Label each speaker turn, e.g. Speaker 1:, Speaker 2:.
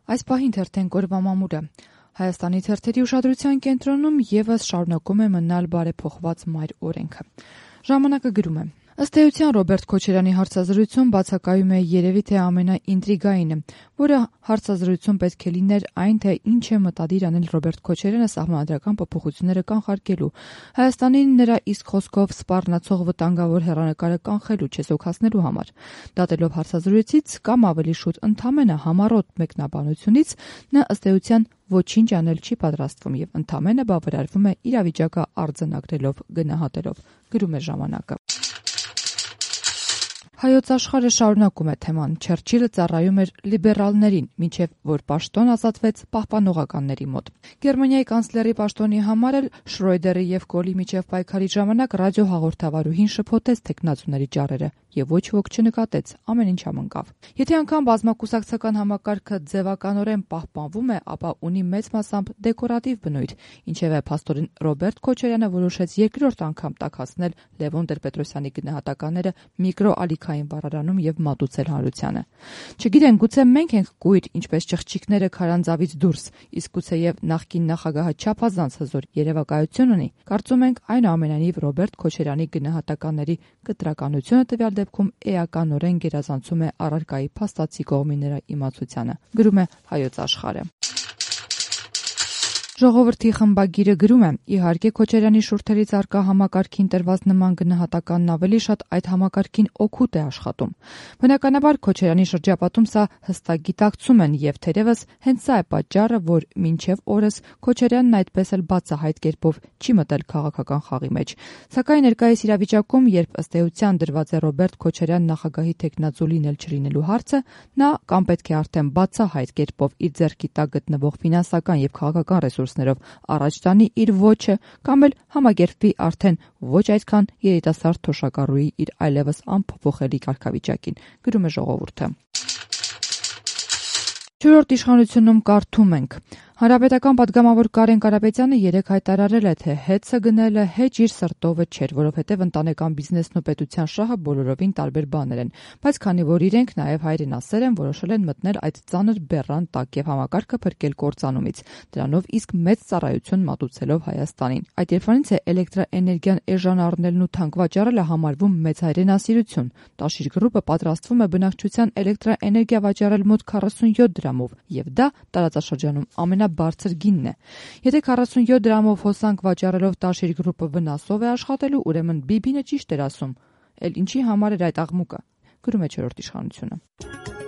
Speaker 1: Այս պահին թերթեն օրվա մամուլը։ Հայաստանի թերթերի ուշադրության կենտրոնում եւս շարունակում է մնալ բարեփոխված մայր օրենքը։ Ժամանակը գրում է. ըստ էության Ռոբերտ Քոչարյանի հարցազրույցում բացակայում է երևի թե ամենաինտրիգայինը, որը հարցազրույցում պետք է լիներ այն, թե ինչ է մտադիր անել Ռոբերտ Քոչարյանը սահմանադրական փոփոխությունները կանխարգելու, Հայաստանին նրա իսկ խոսքով սպառնացող վտանգավոր հեռանկարը կանխելու, չեզոքացնելու համար։ Դատելով հարցազրույցից կամ ավելի շուտ ընդամենը համառոտ մեկնաբանությունից, նա ըստ էության ոչինչ անել չի պատրաստվում եւ ընդամենը բավարարվում է իրավիճակը արձանագրելով, գնահատելով, գրում է ժամանակը։ Հայոց աշխարհը շարունակում է թեման. Չերչիլը ծառայում էր լիբերալներին, մինչև որ պաշտոն ազատվեց պահպանողականների մոտ։ Գերմանիայի կանցլերի պաշտոնի համար էլ Շրոյդերի եւ Կոլի միջև պայքարի ժամանակ ռադիոհաղորդավարուհին շփոթեց թեկնածուների ճառերը եւ ոչ ոք չնկատեց, ամեն ինչ համընկավ։ Եթե անգամ բազմակուսակցական համակարգը ձևականորեն պահպանվում է, ապա ունի մեծ մասամբ դեկորատիվ բնույթ, ինչևէ փաստորեն Ռոբերտ Քոչարյանը որոշեց երկրորդ անգամ տաքացնել Լևոն Տեր-Պետրոսյանի գնահատականները միկրոալիքային բառարանում եւ մատուցել հանրությանը։ Չգիտեն, գուցե մենք ենք կույր, ինչպես չղջիկները քարանձավից դուրս, իսկ գուցեև նախկին նախագահը չափազանց հզոր երևակայություն ունի։ Կարծում ենք այնուամենայնիվ Ռոբերտ Քոչարյանի գնահատականների կտրականությունը տվյալ դեպքում էականորեն գերազանցում է առարկայի փաստացի կողմի իմացությանը, գրում է Հայոց աշխարհը։ Ժողովրդի խմբագիրը գրում է. իհարկե Քոչարյանի շուրթերից արկա համակարգին տրված նման գնահատականն ավելի շատ այդ համակարգին օգուտ է աշխատում։ Բնականաբար Քոչարյանի շրջապատում սա հստակ գիտակցում են եւ թերևս հենց սա է պատճառը, որ մինչեւ օրս Քոչարյանն այդպես էլ բացահայտ կերպով չի մտել քաղաքական խաղի մեջ։ Սակայն ներկայիս իրավիճակում, երբ ըստ էության դրված է Ռոբերտ Քոչարյան նախագահի թեկնածու լինել չլինելու հարցը, նա կամ պետք է արդեն բացահայտ կերպով իր ձեռքի տակ գտնվող ֆինանսական եւ քաղաքական ռեսուրսներով առաջ տանի իր ոճը, կամ էլ համակերպվի արդեն ոչ այդքան երիտասարդ թոշակառուի իր այլևս անփոփոխելի կարգավիճակին, գրում է Ժողովուրդը։ Չորրորդ իշխանությունում կարդում ենք. Հանրապետական պատգամավոր Կարեն Կարապետյանը երեկ հայտարարել է, թե հեծը գնելը հեչ իր սրտովը չէր, որովհետև ընտանեկան բիզնեսն ու պետության շահը բոլորովին տարբեր բաներ են, բայց քանի որ իրենք նաև հայրենասեր են, որոշել են մտնել այդ ծանր բեռան տակ եւ համակարգը փրկել կործանումից, դրանով իսկ մեծ ծառայություն մատուցելով Հայաստանին։ Այդ երբանից է էլեկտրաէներգիան էժան առնելն ու թանկ վաճառելը համարվում մեծ հայրենասիրություն։ Տաշիր գրուպը պատրաստվում է բնակչության էլեկտրաէներգիա վաճառել մոտ 47 դրամով, եւ դա տարածաշրջանում ամենաբարձր գինն է։ Եթե 47 դրամով հոսանք վաճառելով Տաշիր գրուպը վնասով է աշխատելու, ուրեմն Բիբինը ճիշտ էր ասում։ Էլ ինչի համար էր այդ աղմուկը, գրում է չորրորդ իշխանությունը։